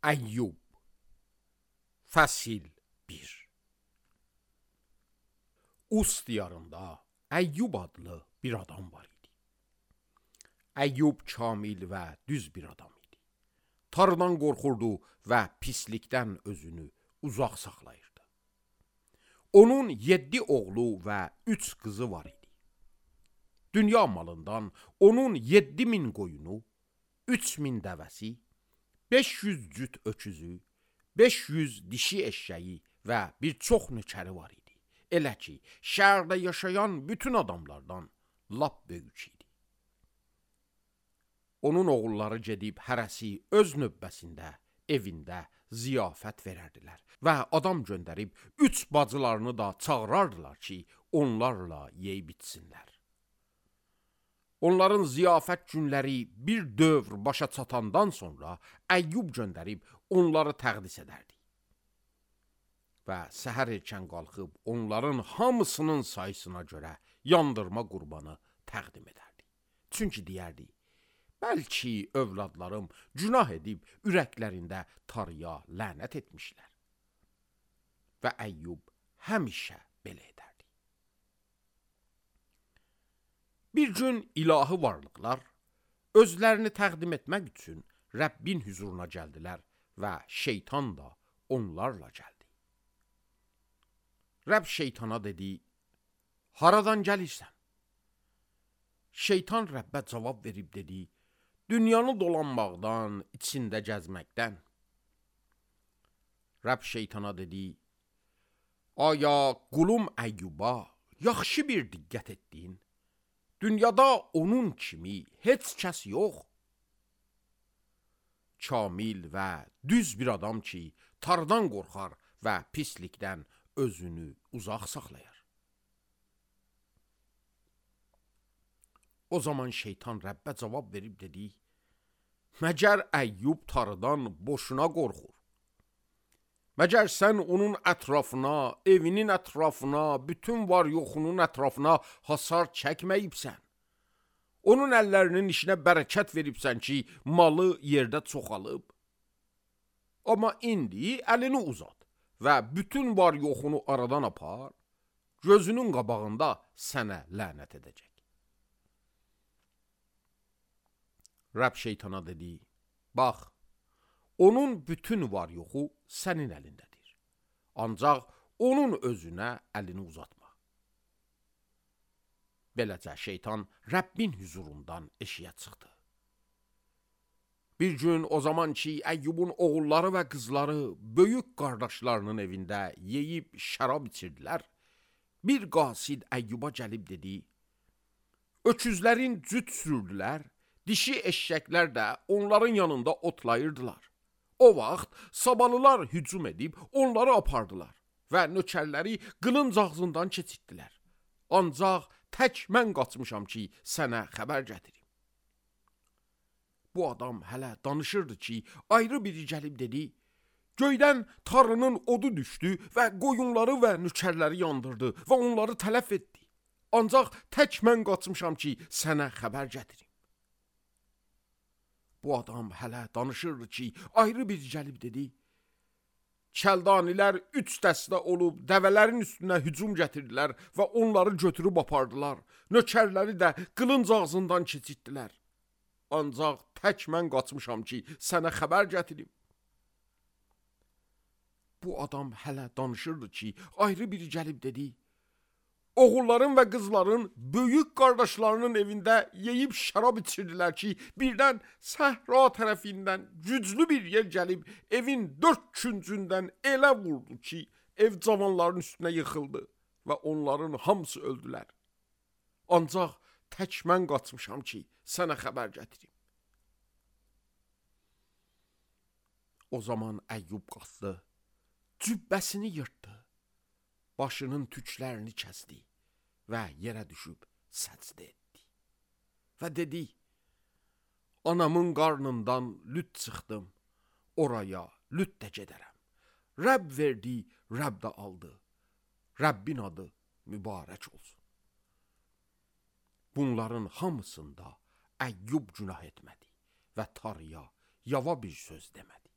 Əyyub Fəsil 1. Us diyarında Əyyub adlı bir adam var idi. Əyyub kamil və düz bir adam idi. Tanrıdan qorxurdu və pislikdən özünü uzaq saxlayırdı. Onun 7 oğlu və 3 qızı var idi. Dünya malından onun 7000 qoyunu, 3000 dəvəsi, 500 cüt öküzü, 500 dişi eşşəyi və bir çox nökəri var idi. Elə ki, şəhərdə yaşayan bütün adamlardan lap böyük idi. Onun oğulları gedib hərəsi öz növbəsində, evində ziyafət verərdilər və adam göndərib 3 bacılarını da çağırardılar ki, onlarla yeyib içsinlər. Onların ziyafət günləri bir dövr başa çatandan sonra Əyyub göndərib onları təqdis edərdi. Və səhər erkən qalxıb onların hamısının sayısına görə yandırma qurbanı təqdim edərdi. Çünki deyərdi, bəlkə övladlarım günah edib ürəklərində Tanrıya lənət etmişlər. Və Əyyub həmişə belə edərdi. Bir gün ilahi varlıqlar özlərini təqdim etmək üçün Rəbbin huzuruna gəldilər və şeytan da onlarla gəldi. Rəbb şeytana dedi, haradan gəlirsən? Şeytan Rəbbə cavab verib dedi, dünyanı dolanmaqdan, içində gəzməkdən. Rəbb şeytana dedi, aya qulum Əyyuba yaxşı bir diqqət etdin? Dünyada onun kimi heç kəs yox. Kamil və düz bir adam ki, Tanrıdan qorxar və pislikdən özünü uzaq saxlayar. O zaman şeytan Rəbbə cavab verib dedi, məgər Əyyub Tanrıdan boşuna qorxur? Məgər sən onun ətrafına, evinin ətrafına, bütün var yoxunun ətrafına hasar çəkməyibsən. Onun əllərinin işinə bərəkət veribsən ki, malı yerdə çoxalıb. Amma indi əlini uzat və bütün var yoxunu aradan apar, gözünün qabağında sənə lənət edəcək. Rəbb şeytana dedi, bax, onun bütün var yoxu sənin əlindədir. Ancaq onun özünə əlini uzatma. Beləcə şeytan Rəbbin huzurundan eşiyə çıxdı. Bir gün o zaman ki, Əyyubun oğulları və qızları böyük qardaşlarının evində yeyib şərab içirdilər, bir qasid Əyyuba gəlib dedi, öküzlərin cüt sürdülər, dişi eşşəklər də onların yanında otlayırdılar. O vaxt sabalılar hücum edib onları apardılar və nökərləri qılınc ağzından keçirtdilər. Ancaq tək mən qaçmışam ki, sənə xəbər gətirim. Bu adam hələ danışırdı ki, ayrı biri gəlib dedi, göydən Tanrının odu düşdü və qoyunları və nökərləri yandırdı və onları tələf etdi. Ancaq tək mən qaçmışam ki, sənə xəbər gətirim. Bu adam hələ danışırdı ki, ayrı bir gəlib dedi, Kəldanilər 3 dəstə olub dəvələrin üstünə hücum gətirdilər və onları götürüb apardılar. Nökərləri də qılınc ağzından keçirtdilər. Ancaq tək mən qaçmışam ki, sənə xəbər gətirim. Bu adam hələ danışırdı ki, ayrı biri gəlib dedi, oğulların və qızların böyük qardaşlarının evində yeyib şərab içirdilər ki, birdən səhra tərəfindən güclü bir yer gəlib evin 4 küncündən elə vurdu ki, ev cavanların üstünə yıxıldı və onların hamısı öldülər. Ancaq tək mən qaçmışam ki, sənə xəbər gətirim. O zaman Əyyub qalxdı, cübbəsini yırtdı, başının tüklərini kəsdi və yerə düşüb səcdə etdi. Və dedi, anamın qarnından lüt çıxdım, oraya lüt də gedərəm. Rəbb verdi, Rəbb də aldı. Rəbbin adı mübarək olsun. Bunların hamısında Əyyub günah etmədi və Tanrıya yava bir söz demədi.